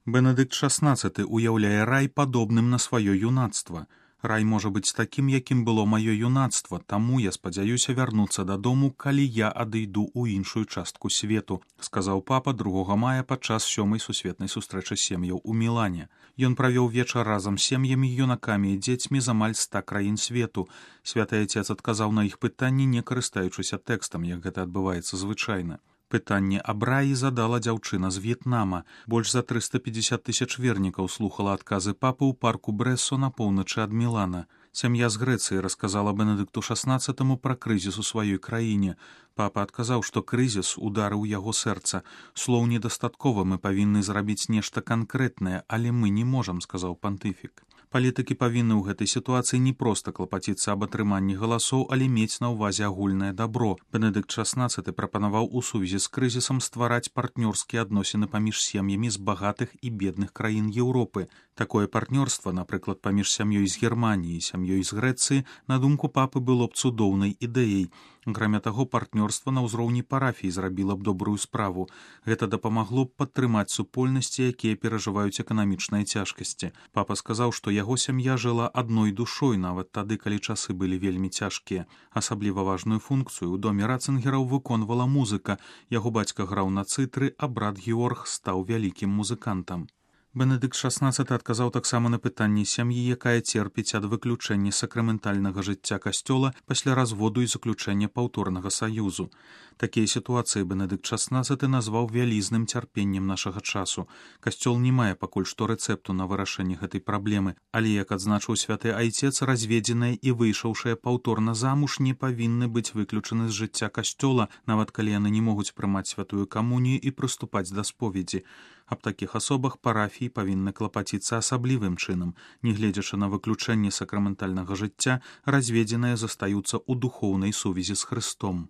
Бенедыкт XVI уяўляе рай падобным на сваё юнацтва. Рай можа быць такім, якім было маё юнацтва, таму я спадзяюся вярнуцца дадому, калі я адыйду ў іншую частку свету, сказаў папа 2 мая падчас 7-й сусветнай сустрэчы сем'яў у Мілане. Ён правёў вечар разам з сем'ямі, юнакамі і дзецьмі з амаль 100 краін свету. Святы Айцец адказаў на іх пытанні, не карыстаючыся тэкстам, як гэта адбываецца звычайна. Пытанне аб раі задала дзяўчына з В'етнама. Больш за 350 тысяч вернікаў слухала адказы папы ў парку Брэссо на поўначы ад Мілана. Сям'я з Грэцыі расказала Бенедыкту XVI пра крызіс у сваёй краіне. Папа адказаў, што крызіс ударыў яго сэрца. Слоў недастаткова, мы павінны зрабіць нешта канкрэтнае, але мы не можам, сказаў пантыфік. Палітыкі павінны ў гэтай сітуацыі не проста клапаціцца аб атрыманні галасоў, але мець на ўвазе агульнае дабро. Бенедыкт XVI прапанаваў у сувязі з крызісам ствараць партнёрскія адносіны паміж сем'ямі з багатых і бедных краін Еўропы. Такое партнёрства, напрыклад, паміж сям'ёй з Германіі і сям'ёй з Грэцыі, на думку папы, было б цудоўнай ідэяй. Акрамя таго, партнёрства на ўзроўні парафій зрабіла б добрую справу. Гэта дапамагло б падтрымаць супольнасці, якія перажываюць эканамічныя цяжкасці. Папа сказаў, што яго сям'я жыла адной душой, нават тады, калі часы былі вельмі цяжкія. Асабліва важную функцыю ў доме Рацынгераў выконвала музыка. Яго бацька граў на цытры, а брат Георг стаў вялікім музыкантам. Бенедыкт XVI адказаў таксама на пытанне сям'і, якая церпіць ад выключэння сакраментальнага жыцця касцёла пасля разводу і заключэння паўторнага саюзу. Такія сітуацыі Бенедыкт XVI назваў вялізным цярпеннем нашага часу. Касцёл не мае пакуль што рэцэпту на вырашэнне гэтай праблемы, але, як адзначыў святы Айцец, разведзеныя і выйшаўшыя паўторна замуж не павінны быць выключаны з жыцця касцёла, нават калі яны не могуць прымаць святую камунію і прыступаць да споведзі. Аб такіх асобах парафіі павінны клапаціцца асаблівым чынам. Нягледзячы на выключэнне сакраментальнага жыцця, разведзеныя застаюцца ў духоўнай сувязі з Хрыстом.